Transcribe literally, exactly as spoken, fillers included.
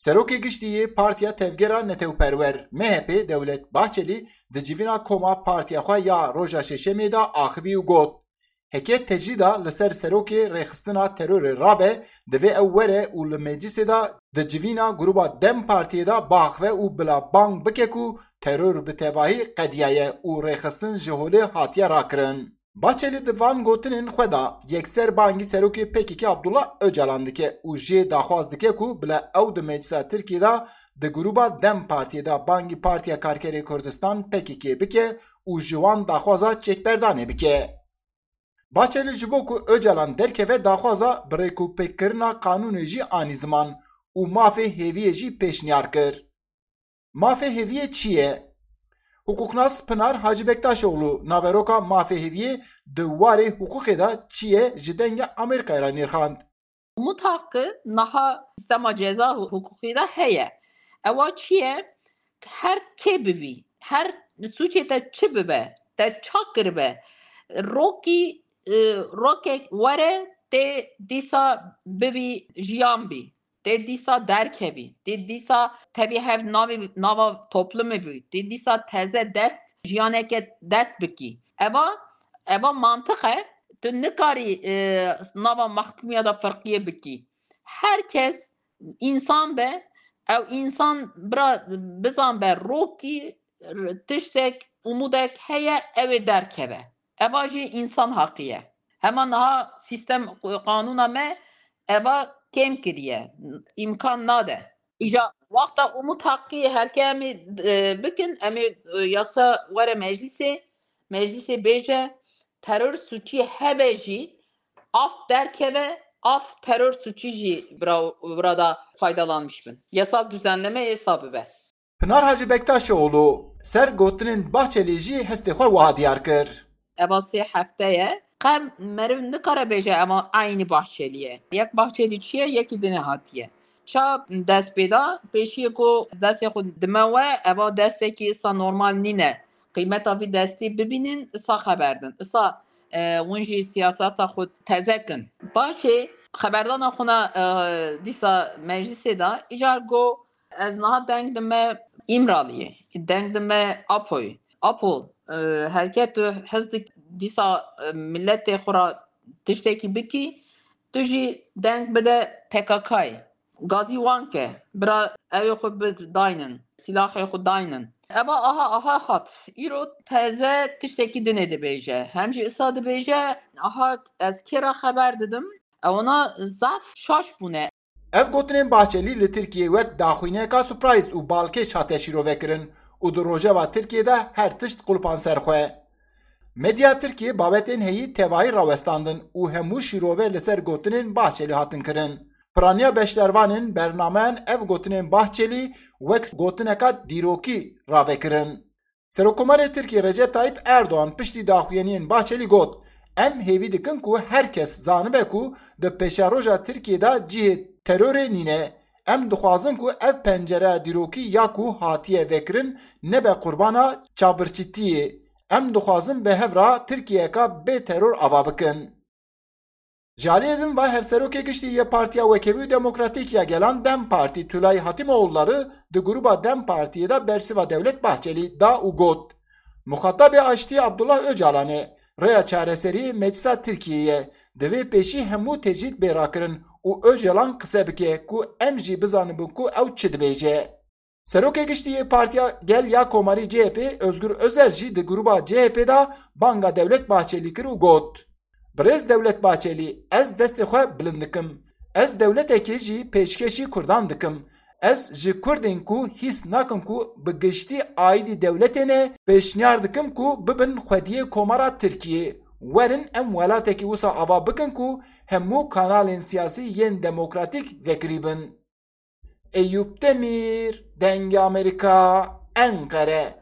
Serokê Giştî yê Partiya Tevgera Netewperwer, M H P, Dewlet Bahçelî di civîna koma partiya xwe ya roja Şeşemê de axivî û got, Heke tecrîda li ser serokê rêxistina terorê rabe, divê ew were û li meclisê de di civîna grûba DEM Partiyê de biaxive û bila bang bike ku teror bi tevahî qediyaye û rêxistin ji holê hatiye rakirin. Bahçelî di van gotinên xwe de yekser bangî serokê P K K Abdullah Ocalan dike û jê daxwaz dike ku bila ew di meclisa Tirkiyê de di grûba DEM Partiyê de bangî Partiya Karkerê Kurdistan P K K bike û ji wan daxwaza çekberdanê bike. Bahçelî ji bo ku Ocalan derkeve daxwaza birêkûpêkkirina qanûnê jî anî ziman û mafê hêviyê jî pêşniyar kir. Mafê hêviyê çi ye? Hiqûqnas Pinar Hacı Bektaşoğlu naveroka mafê hêviyê di warê hiqûqê de çi ye ji Dengê Amerîkayê re nirxand. Umut Hakkı niha sistema ceza huquqî de heye. Ewa çi ye? Her kê bibî, her sûcê te çi bibe, te ça kiribe, rokî, e, rokek were tê dîsa bibî jiyan bî, tê dîsa derkevî, tê dîsa tevî hev navê, nava toplumê bî, tê dîsa teze dest jiyaneke dest bikî. Eva, eva mantiq e, tu nikarî, e, nava mahkûmiya de firqiyê bikî. Her kes însan be, ew însan bira bizan be rokî tiştek, umudek heye, ew ê derkeve. Eva jî însan haqî ye. Hema niha sîstem, qanûna me eva kêm kiriye, îmkan nade. Îja wexta Umut Hakkî herke em ê, e, bikin, em ê, e, yasa were meclîsê, meclîsê bêje, terör suçî hebe jî, af derkeve, af terör suçî jî bira, bira da faydalanmış bin. Yasal düzenleme êsa bibe. Pinar Hacı Bektaşoğlu ser gotinên Bahçelî jî hestê xwe wiha diyar kir. Eva sê hefte ye. Qe meriv nikare bêje eva eynî Bahçelî ye. Yek Bahçelî çi ye, yekî dinê hatiye. Ça dest pê da, pêşiyê ku destê xwe dime we, eva destekî îsa normal nîne. Qîmeta vî destî bibînin, îsa xeber din. Îsa, e, hûn jî siyaseta xwe teze kin. Paşê xeberdana xwe na, e, dîsa meclisê da, îcar got, Ez niha deng dime Îmraliyê, deng dime Apoyê. Apo, e, herket tu hez dik dîsa, e, milletê xwe ra tiştekî bikî, tu jî deng bide P K K'yê. Gazî wan ke, bira ew ê xwe bidaynin, sîlahê xwe daynin. Eva aha, aha hat. Îro teze tiştekî dinê dibêje. Hem jî îsa dibêje, aha ez kê ra xeber didim. Ewana zaf şaş bûne. Ev gotinên Bahçelî li Tirkiyê wek daxuyneka surprise û balkêş hate şîrovekirin û di rojeva Tirkiyê de her tişt qulpan ser xwe. Medya Tirkiyê babetên heyî tevahî rawestandin û hemû şîrove li ser gotinên Bahçelî hatin kirin. Piraniya beşdarvanên bernameyan ev gotinên Bahçelî wek gotineka dîrokî ravekirin. Serokkomarê Tirkiyê Recep Tayyip Erdogan piştî daxuyaniyên Bahçelî got, Em hêvî dikin ku her kes zanibe ku di pêşeroja Tirkiyê de cihê terorê nîne. Em dixwazin ku ev pencereya dîrokî ya ku hatiye vekirin nebe qurbana çavbirçîtiyê. Em dixwazin bi hev re Tirkiyeyeka bê teror ava bikin. Ji aliyê din ve Hevserokê Giştî yê Partiya Wekhevî û Demokratîk ya Gelan DEM Partî Tülay Hatimoğulları di grûba DEM Partiyê de bersiva Dewlet Bahçelî da û got, Muxatabê aştiyê Abdullah Ocalan e, rêya çareseriyê Meclisa Tirkiyê ye. Divê pêşî hemû tecrîd bê rakirin û Ocalan qise bike ku em jî bizanibin ku ew çi dibêje. Serokê Giştî yê Partiya Gel ya Komarî C H P Özgür Özel jî di grûba C H P de banga Dewlet Bahçelî kir û got, Birêz Dewlet Bahçelî, ez destê xwe bilind dikim. Ez dewletekê jî pêşkêşî Kurdan dikim. Ez ji Kurdên ku hîs nakin ku bi giştî aîdî dewletê ne, pêşniyar dikim ku bibin xwediyê Komara Tirkiyê. Werin em welatekî wisa ava bikin ku hemû kanalên siyasî yên demokratîk vekirî bin. Eyûp Demîr, Dengê Amerîka, Enqere.